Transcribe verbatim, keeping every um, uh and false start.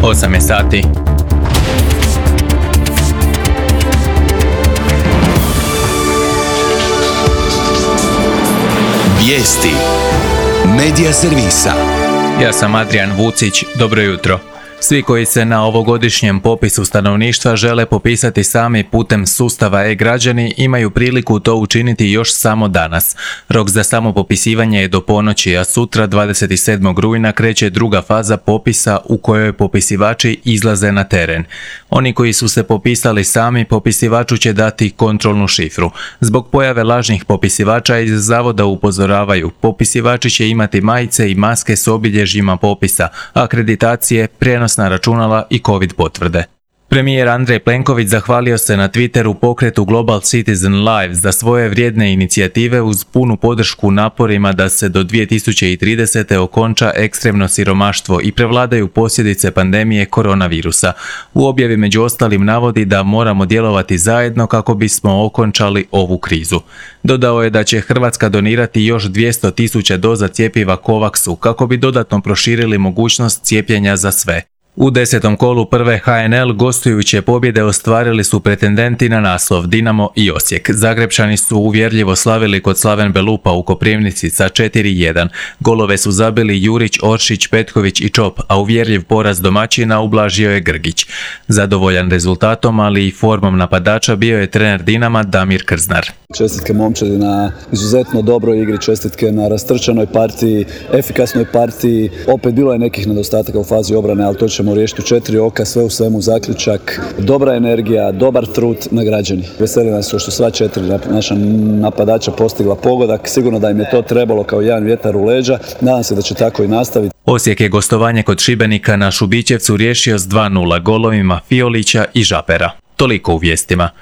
osam je sati. Vijesti Medija servisa. Ja sam Adrian Vucić, dobro jutro. Svi koji se na ovogodišnjem popisu stanovništva žele popisati sami putem sustava e-građani imaju priliku to učiniti još samo danas. Rok za samopopisivanje je do ponoći, a sutra dvadeset sedmog rujna kreće druga faza popisa u kojoj popisivači izlaze na teren. Oni koji su se popisali sami, popisivaču će dati kontrolnu šifru. Zbog pojave lažnih popisivača iz zavoda upozoravaju, popisivači će imati majice i maske s obilježjima popisa, akreditacije, prijenosna računala i covid potvrde. Premijer Andrej Plenković zahvalio se na Twitteru pokretu Global Citizen Live za svoje vrijedne inicijative uz punu podršku naporima da se do dvije tisuće tridesete. okonča ekstremno siromaštvo i prevladaju posljedice pandemije koronavirusa. U objavi među ostalim navodi da moramo djelovati zajedno kako bismo okončali ovu krizu. Dodao je da će Hrvatska donirati još dvjesto tisuća doza cjepiva Covaxu kako bi dodatno proširili mogućnost cijepljenja za sve. U desetom kolu prve ha en el gostujuće pobjede ostvarili su pretendenti na naslov Dinamo i Osijek. Zagrebčani su uvjerljivo slavili kod Slaven Belupa u Koprivnici sa četiri jedan. Golove su zabili Jurić, Oršić, Petković i Čop, a uvjerljiv poraz domaćina ublažio je Grgić. Zadovoljan rezultatom, ali i formom napadača bio je trener Dinama Damir Krznar. Čestitke momčadi na izuzetno dobroj igri, čestitke na rastrčanoj partiji, efikasnoj partiji. Opet bilo je nekih nedostataka u fazi obrane, ali to ćemo riješiti u četiri oka, sve u svemu zaključak. Dobra energija, dobar trud, nagrađeni. Veseli nas što sva četiri naša napadača postigla pogodak. Sigurno da im je to trebalo kao jedan vjetar u leđa. Nadam se da će tako i nastaviti. Osijek je gostovanje kod Šibenika na Šubićevcu riješio s dva nula golovima Fiolića i Žapera. Toliko u vijestima.